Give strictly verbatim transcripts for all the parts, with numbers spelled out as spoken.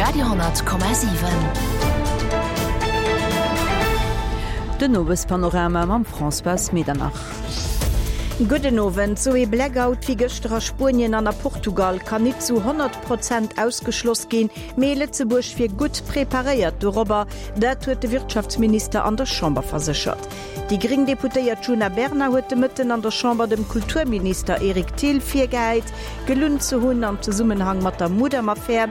Radio honnert Komma siwen. Den Owespanorama mam Françoise Medernach. Gudden Owend. Sou ee Blackout wéi gëschter a Spuenien an a Portugal kann nit zu honnert Prozent ausgeschloss ginn, mee Lëtzebuerg wier gutt preparéiert dorobber, dat huet de Wirtschaftsminister an der Chamber verséchert. Déi gréng Deputéiert Djuna Bernard huet de Mëtten an der Chamber dem Kulturminister Eric Thill virgehäit, gelunn ze hunn am Zesummenhang mat der Mudam-Affär.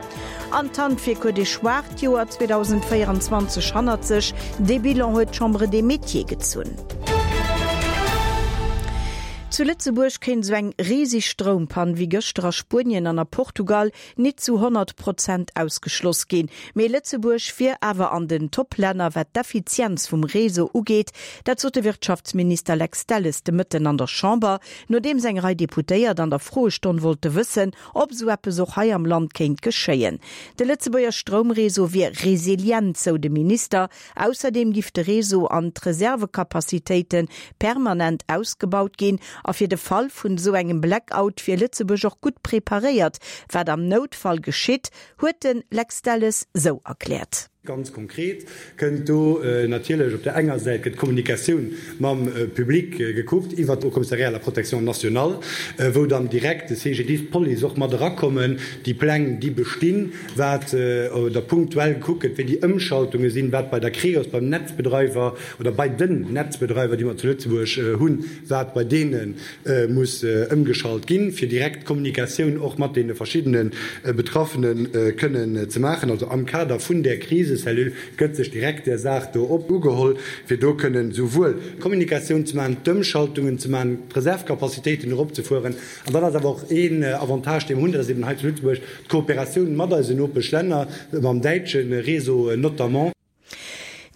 An d'Handwierk huet ee schwaacht Joer zweedausendvéierenzwanzeg hannert sech, dee Bilan huet d'Chambre des Métiers gezunn. Zu Lëtzebuerg kéint esou eng riseg Stroumpann wéi gëschter a Spuenien an a Portugal nit zu honnert Prozent ausgeschloss ginn. Mee Lëtzebuerg wier awer an den Top-Länner wat d'Effizienz vum Réseau ugeet. Dat sot de Wirtschaftsminister Lex Delles de Mëtten an der Chamber, nodeems eng Rei Deputéiert an der Froestonn wollte wëssen, ob esou eppes och hei am Land kéint geschéien. De Lëtzebuerger Stroumréseau wier resilient, sou de Minister. Ausserdeem giff de Réseau an d'Reservekapazitéite permanent ausgebaut ginn a fir de Fall vun esou engem Blackout wier Lëtzebuerg och gutt preparéiert. Wat am Noutfall geschitt, huet de Lex Delles sou erkläert. Ganz konkret kënnt do natierlech op der enger Säit gëtt d'Kommunikatioun mam Public gekuckt iwwert d'Haut Commissariat à la protection nationale, wou dann direkt de C G D I S, d'Police och mat erakommen, déi Pläng déi bestinn, wat da punktuell gekuckt gëtt, wéi déi Ëmschaltunge sinn, wat bei der Creos, beim Netzbedreiwer oder bei den Netzbedreiwer, déi mer zu Lëtzebuerg hunn, wat bei deene muss ëmgeschalt ginn, fir direkt d'Kommunikatioun och mat deene verschiddene Betraffene kënnen ze maachen. Also am Kader vun där Krisecellule gëtt sech direkt där Saach do op ugeholl, fir do kënnen souwuel d'Kommunikatioun ze maachen, d'Ëmschaltungen ze maachen, d'Reservcapacitéiten eropzefueren. An dat ass awer och een Avantage, dee mer hunn, dat ass eben hei zu Lëtzebuerg d'Kooperatioun mat eisen Nopeschlänner, mam däitsche Réseau notamment.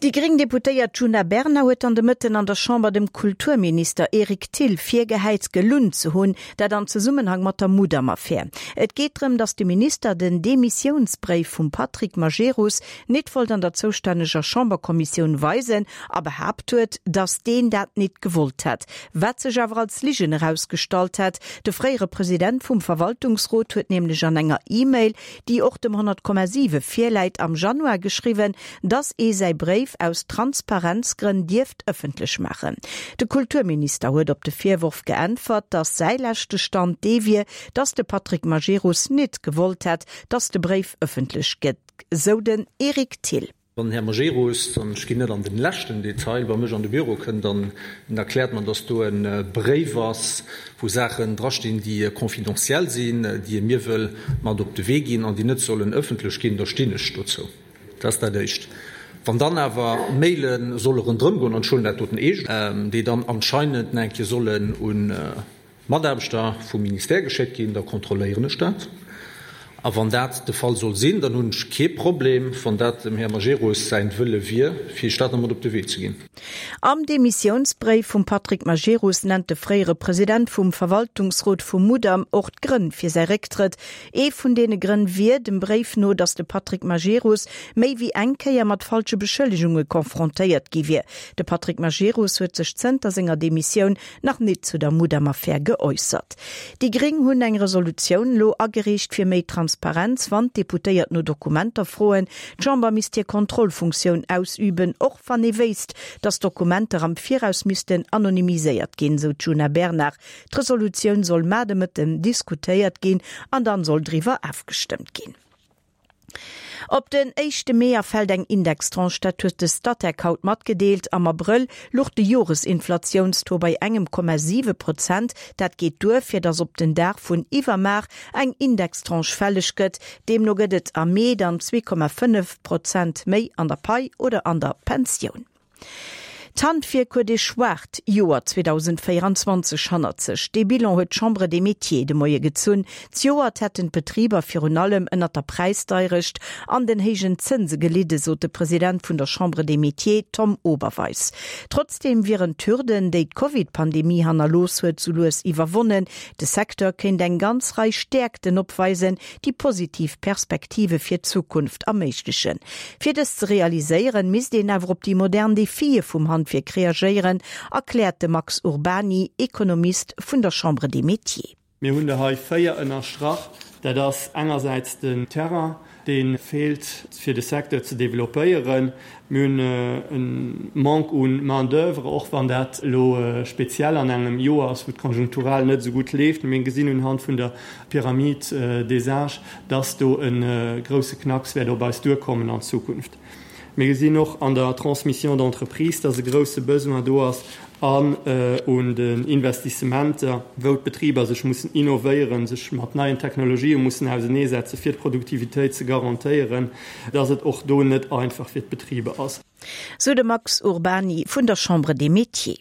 Déi gréng Deputéiert Djuna Bernard huet an de Mëtten an der Chamber dem Kulturminister Eric Thill virgehäit, gelunn ze hunn, dat am Zesummenhang mat der Mudam-Affär. Et geet drëm, datt de Minister den Demissiounsbréif vum Patrick Majerus nit wollt an der zoustänneger Chamberkommissioun weisen a behaapt huet, datt deen dat nit gewollt hätt. Wat sech awer als Ligen erausgestallt hätt. De fréiere President vum Verwaltungsrot huet nämlech an enger E-Mail, déi och dem honnert Komma siwe virläit, am Januar geschriwwen, datt ee säi Bréif aus Transparenzgrënn dierft ëffentlech maachen. De Kulturminister huet op de Virworf geäntwert, datt säi leschte Stand dee wier, datt de Patrick Majerus nit gewollt hätt, datt de Bréif ëffentlech gëtt, sou den Eric Thill. Wann den Här Majerus, an ech ginn net an den leschten Detail, bei mech an de Büro kënnt an en erkläert mer, datt do e Bréif ass, wou Saachen drastinn, déi confidentiel sinn, déi e mir wëll mat op de Wee ginn an déi net sollen ëffentlech ginn, da stinn ech dozou. Dat ass dat Éischt. Wann dann awer Maile solle ronderëm goen, an ech huelen dat doten eescht, déi dann anscheinend nach eng Kéier sollen un Mataarbechter vum Ministère geschéckt ginn, da kontrolléieren ech dat. A wann dat de Fall soll sinn, dann hunn ech kee Problem, wann dat dem Här Majerus säin Wëlle wier, fir Iech dat nach mat op de Wee ze ginn. Am Demissiounsbréif vum Patrick Majerus nennt de fréiere President vum Verwaltungsrot vum Mudam och d'Grënn fir säi Récktrëtt. Ee vun deene Grënn wier dem Bréif no, datt de Patrick Majerus méi wéi eng Kéier mat falsche Beschëllegunge konfrontéiert gi wier. De Patrick Majerus huet sech zënter senger Demissioun nach nit zu der Mudam-Affär geäussert. Déi Gréng hunn eng Resolutioun lo agereecht fir méi Transparenz, wann d'Deputéiert no Dokumenter froen. D'Chamber misst hir Kontrollfunktioun ausüben, och wann ee wéisst, datt Dokumenter am Viraus missten anonymiséiert ginn, sou d'Djuna Bernard. D'Resolutioun soll mar de Mëtten diskutéiert ginn an dann soll driwwer ofgestëmmt ginn. Op den éischte Mee erfält eng Indextranche, dat huet de Statec haut matgedeelt. Am Abrëll louch de Joresinflatiounstaux bei engem Komma siwe Prozent. Dat geet duer, fir datt op den Dag vun iwwermar eng Indextranche fälleg gëtt. Deemno gëtt et am Mee dann zwee Komma fënnef Prozent méi an der Pai oder an der Pensioun. D'Handwierk huet ee schwaacht Joer zweedausendvéierenzwanzeg hannert sech. Dee Bilan huet d'Chambre des Métiers de Moie gezunn. Zejoert hätten d'Betriber virun allem ënnert der Präisdeierecht an den héijen Zënse gelidden, sot de President vun der Chambre des Métiers Tom Oberweis. Trotzdeem wieren d'Hürden, déi d'Covid-Pandemie hannerlooss huet, sou lues iwwerwonnen. De Secteur kéint eng ganz Rei Stäerkten opweisen, déi positiv Perspektive fir d'Zukunft erméiglechen. Fir dës ze realiséieren, misst een awer op déi modern Defie vum Handwierk reagéieren, erkläert de Max Urbany, Ekonomist vun der Chambre des Métiers. Mir hunn der hei véier ënnerstrach. Dat ass engersäits den Terrain, dee feelt fir de Secteur ze developpéieren. Mir hunn e Manque un Main d'oeuvre, och wann dat elo speziell an engem Joer ass, wou et konjunkturell net esou gutt leeft. Mir gesinn unhand vun der Pyramide des âges, dass do e grousse Knacks wäert op eis duerkommen an Zukunft. Mir gesinn och an der Transmission d'entreprise, dass e grousse Besoin do ass an un den Investissementer, wou d'Betriber sech mussen innovéieren, sech mat neien Technologië mussen auseneesetzen, fir d'Produktivitéit ze garantéieren, dass et och do net einfach fir d'Betriber ass. Sou de Max Urbany vun der Chambre des Métiers.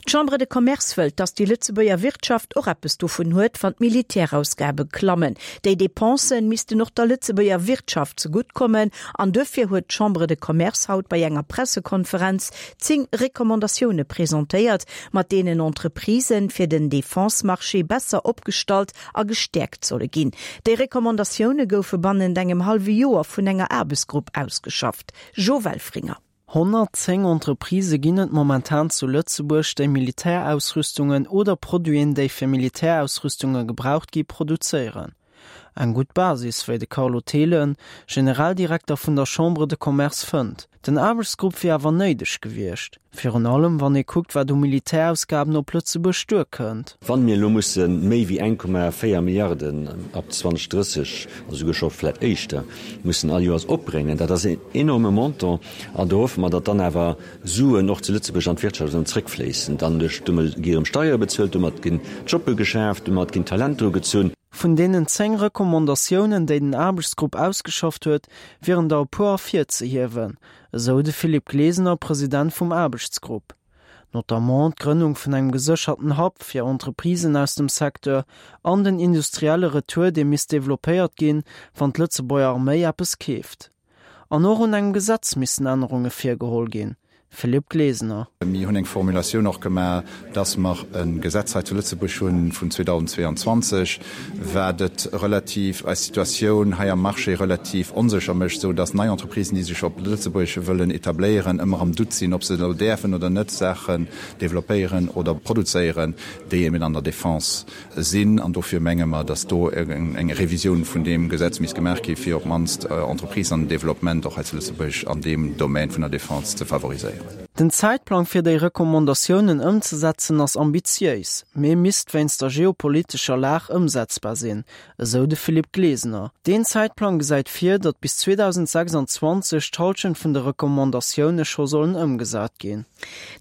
D'Chambre de Commerce wëllt, datt déi Lëtzebuerger Wirtschaft och eppes dovun huet, wann d'Militärausgabe klammen. Déi Depensen missten och der Lëtzebuerger Wirtschaft zegutt kommen an duerfir huet d'Chambre de Commerce haut bei enger Pressekonferenz zéng Recommandatioune presentéiert, mat deenen Entreprisen fir den Defense-Marché besser opgestallt a gestäerkt solle ginn. Déi Recommandatioune goufe bannent engem hallwe Joer vun enger Aarbechtsgrupp ausgeschafft. Jo Welfringer. Honnertzéng Entreprisë ginn et momentan zu Lëtzebuerg, déi Militärausrüstungen oder Produiten, déi fir Militärausrüstunge gebraucht gi, produzéieren. Eng gutt Basis, wéi de Carlo Thelen, Generaldirekter vun der Chambre de Commerce fënnt. Den Aarbechtsgrupp wier awer néideg gewiescht, virun allem wann ee kuckt, wat u Militärausgaben op Lëtzebuerg duerkënnt. Wann mir elo musse méi wéi eng Komma véier Milliarden ab zweitausenddrësseg, a souguer scho vläicht éischter, mussen all Joers opbréngen, dat ass een enorme Montant, an do hoffe mer, datt dann awer Suen och zu Lëtzebuerg an d'Wirtschaft erëm zréckfléissen. Dann duerch, domat gi erëm Steiere bezuelt, domat ginn Jobbe geschaaft, domat ginn Talenter ugezunn. Vun deenen zéng Recommandatiounen, déi den Aarbechtsgrupp ausgeschafft huet, wieren der e puer ervirzehiewen, esou de Philippe Glesener, President vum Aarbechtsgrupp. Notamment d'Grënnung vun engem gesécherten Hub fir Entreprisen aus dem Secteur an den industrielle Retour, dee misst developpéiert ginn, wann d'Lëtzebuerger Arméi eppes keeft. An och un engem Gesetz missten Ännerunge virgeholl ginn. Philippe Glesener. Mir hunn eng Formulatioun och gemaach, dass mer e Gesetz hei zu Lëtzebuerg hu vun zweedausendzweeanzwanzeg, wat et relativ, eis Situatioun hei am Marché relativ onsécher mécht, esou dass nei Entreprisen, déi sech op Lëtzebuerg wëllen etabléieren, ëmmer am Doute sinn, ob se elo däerfen oder net Saachen developpéieren oder produzéieren, déi eben an der Defense sinn. An dofir menge mer, dass do eng Revisioun vun deem Gesetz misst gemaach gi fir op d'mannst Entreprisen an den Developpement och hei zu Lëtzebuerg an deem Domän vun der Defense ze favoriséieren. Den Zäitplang fir déi Recommandatiounen ëmzesetzen ass ambitiéis, mee misst wéinst der geopolitescher Lag ëmsetzbar sinn, esou de Philippe Glesener. Deen Zäitplang gesäit vir, datt bis zweedausendsechsanzwanzeg d'Hallschent vun de Recommandatioune scho sollen ëmgesat ginn.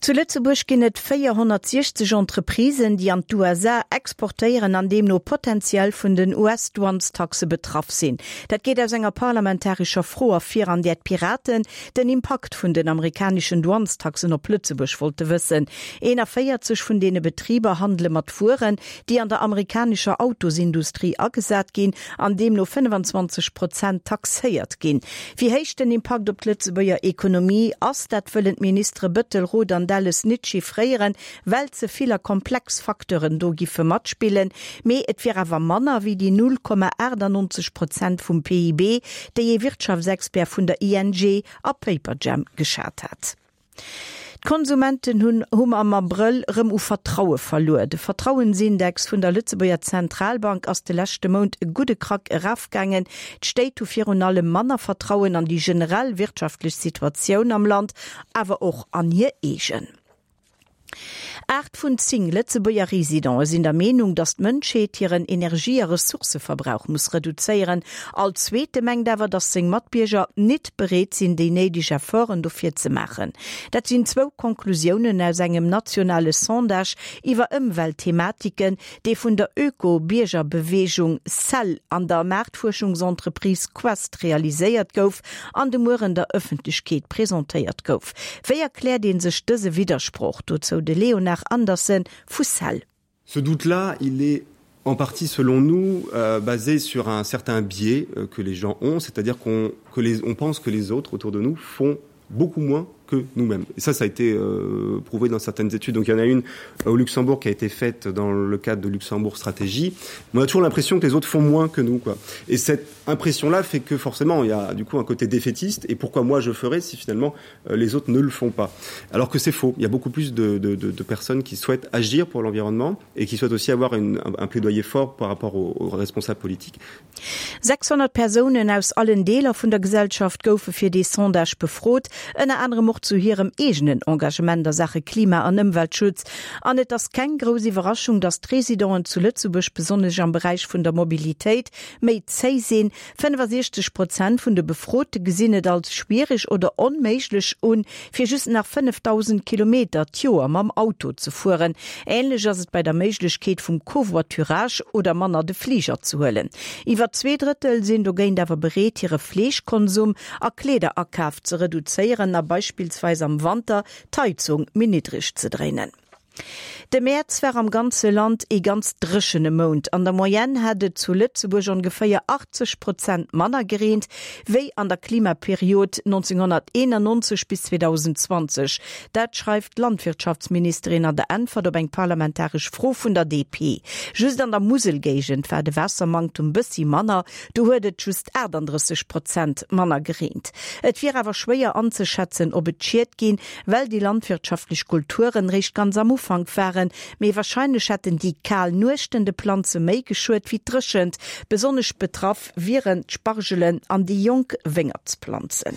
Zu Lëtzebuerg ginn et véierhonnertsiechzeg Entreprisen, déi an d'U S A exportéieren an deemno potenziell vun den U S-Douanestaxe betraff sinn. Dat geet aus enger parlamentarescher Fro ervir, an där d'Piraten den Impakt vun den amerikaneschen Douanestaxen op Lëtzebuerg wollte wëssen. Eenavéierzeg vun deene Betriber handele mat Wueren, déi an der amerikanescher Autosindustrie agesat ginn an deemno fënnefenzwanzeg Prozent taxéiert ginn. Wéi héich den Impakt op d'Lëtzebuerger Ekonomie ass, dat wëllen d'Ministere Bettel, Roth an Delles net chiffréieren, well ze vill a komplex Facteuren do giffe matspillen, mee et wier awer manner wéi déi null Komma achtundneunzeg Prozent vum P I B, déi ee Wirtschaftsexpert vun der I N G a Paperjam geschat hat. D'Konsumenten hunn hu am Abrëll rëm u Vertraue verluer. De Vertrauensindex vun der Lëtzebuerger Zentralbank ass de leschte Mount e gudde Krack erafgaangen. D'Stéit hu virun allem manner Vertrauen an déi generell wirtschaftlech Situatioun am Land, awer och an hir eegen. Acht vun zéng Lëtzebuerger Residenten sinn der Meenung, datt d'Mënschheet hiren Energie- a Ressourceverbrauch muss reduzéieren. All zweete mengt awer, datt seng Matbierger net bereet sinn, déi néideg Efforten dofir ze maachen. Dat sinn zwou Konklusiounen aus engem nationale Sondage iwwer Ëmweltthematiken, dee vun der Öko-Biergerbeweegung CEL an der Maartfuerschungsentreprise Quest realiséiert gouf an de Mueren der Ëffentlechkeet presentéiert gouf. Wéi erkläert een sech dëse Widdersproch? Dozou de Léonard Andersen vu CEL. Ce doute-là, il est en partie, selon nous, euh, basé sur un certain biais, euh, que les gens ont, c'est-à-dire qu'on, que les, on pense que les autres autour de nous font beaucoup moins que nous-mêmes. Et ça, ça a été euh, prouvé dans certaines études. Donc il y en a une euh, au Luxembourg qui a été faite dans le cadre de Luxembourg Stratégie. Mais on a toujours l'impression que les autres font moins que nous. Quoi. Et cette impression-là fait que forcément, il y a du coup un côté défaitiste. Et pourquoi moi je ferais si finalement euh, les autres ne le font pas Alors que c'est faux. Il y a beaucoup plus de, de, de, de personnes qui souhaitent agir pour l'environnement et qui souhaitent aussi avoir une, un, un plaidoyer fort par rapport aux, aux responsables politiques. sechshonnert Persounen aus allen Deeler vun der Gesellschaft goufe fir dee Sondage befrot, ënner anerem och zu hirem eegenen Engagement a Saache Klima an Ëmweltschutz. An et ass keng grouss Iwwerraschung, datt d'Residenten zu Lëtzebuerg besonnesch am Beräich vun der Mobilitéit méi zéi sinn, fënnefasiechzeg Prozent vun de Befrote gesinn et als schwiereg oder onméiglech un, fir just nach fënnefdausend Kilometer d'Joer mam Auto ze fueren. Änlech ass et bei der Méiglechkeet vum Covoiturage oder manner de Fliger ze huelen. Iwwer zwee Drëttel sinn dogéint awer bereet, hire Fleeschkonsum a Kleederakaf ze reduzéieren a beispillsweis am Wanter d'Heizung méi niddreg ze dréinen. De Mäerz war am ganze Land ee ganz dréchene Mount. An der Moyenne hätt et zu Lëtzebuerg ongeféier achtzeg Prozent manner gereent wéi an der Klimaperiod nonzénghonnerteenannonzeg bis zweedausendzwanzeg. Dat schreift d'Landwirtschaftsministerin an der Äntwert op eng parlamentaresch Fro vun der D P. Just an der Muselgéigend war de Waassermanktum bëssi manner, do huet et just aachtanddrësseg Prozent manner gereent. Et wier awer schwéier anzeschätzen, ob et Schied ginn, well déi landwirtschaftlech Kulturen réischt ganz am Ufank waren, mee warscheinlech hätten déi kal Nuechten de Planze méi geschuet wéi d'Dréchent. Besonnesch betraff wieren d'Spargelen an déi jonk Wéngertsplanzen.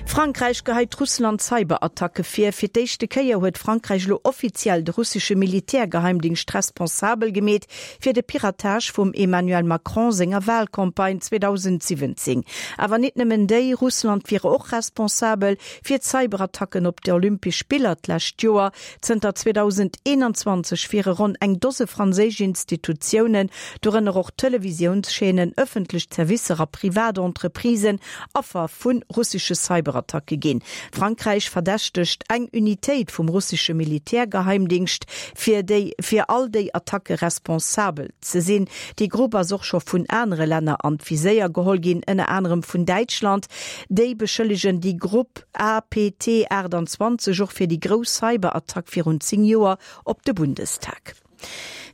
Frankräich geheit Russland Cyberattacke vir. Fir d'éischte Kéier huet Frankräich elo offiziell de russesche Militärgeheimdingscht responsabel gemeet fir de Piratage vum Emmanuel Macron senger Walcampagne zweedausentsiwwenzéng. Awer nit nëmmen déi, Russland wier och responsabel fir d'Cyberattacken op d'Olympesch Spiller d'lescht Joer. Zënter zweedauseneenanzwanzeg wiere ronn eng Dose franséisch Institutiounen, dorënner och Televisiounschaînen, ëffentlech Zerwisser a privat Entreprisen, Affer vu russesche Cyberattacke ginn. Frankräich verdächtegt eng Unitéit vum russesche Militärgeheimdingscht, fir déi fir all déi Attacke responsabel ze sinn. Déi Grupp ass och scho vun anere Länner an d'Viséier geholl ginn, ënner anerem vun Däitschland. Déi beschëllegen déi Grupp A P T achttanzwanzeg och fir déi grouss Cyberattack virun zéng Joer op de Bundestag.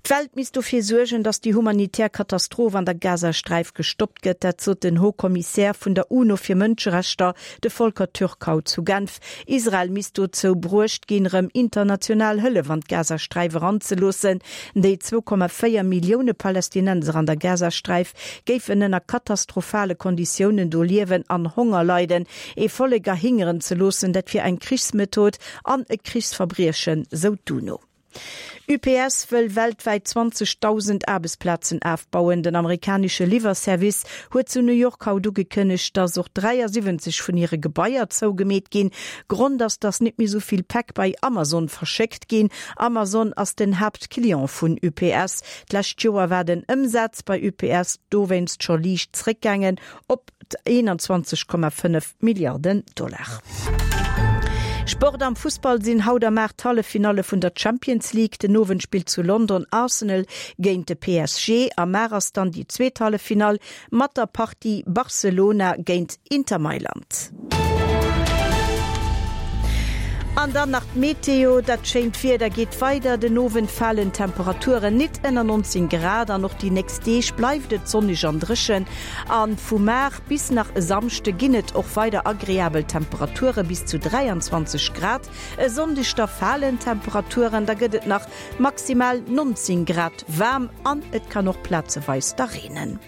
D'Welt misst dofir suergen, datt déi humanitär Katastroph an der Gazasträif gestoppt gëtt, dat sot den Haut-Kommissär vun der UNO fir Mënscherechter, de Volker Türk haut zu Genf. Israel misst dozou bruecht ginn, erëm international Hëllef an d'Gazasträif eranzeloossen. Déi zwou Komma véier Millioune Palästinenser an der Gazasträif géifen ënner katastrophale Konditiounen do liewen an Honger leiden. Ee Vollek erhingeren ze loossen, dat wier eng Krichsmethod an e Krichsverbriechen, sou d'UNO. U P S wëll weltwäit zwanzegdausend Aarbechtsplazen ofbauen. Den amerikanesche Liwwerservice huet zu New York haut ugekënnegt, dass och dräiasiwwenzeg vun hire Gebaier zougemeet ginn. Grond ass, dass net méi sou vill Päck bei Amazon verschéckt ginn. Amazon ass den Haaptclient vun U P S. D'lescht Joer war den Ëmsaz bei U P S dowéinst scho liicht zréckgaangen op eenanzwanzeg Komma fënnef Milliarden Dollar. Sport Am Fussball sinn haut am aacht d'Halleffinalle vun der Champions League. Den Owend spillt zu London Arsenal géint de P S G. Am Mar ass dann déi zweet Halleffinall mat der Partie Barcelona géint Inter Mailand. An dann nach d'Meteo, Dat schéint Wieder geet weider, den Owend falen d'Temperaturen nit ënner neunzéng Grad an och déi nächst Deeg bleift et sonneg an dréchen. A vu mar bis nach e Samschde ginn et och weider agreabel Temperature bis zu dräianzwanzeg Grad. E Sonndeg da falen d'Temperaturen, da gëtt et nach maximal neunzéng Grad waarm an et kann och plazeweis da reenen.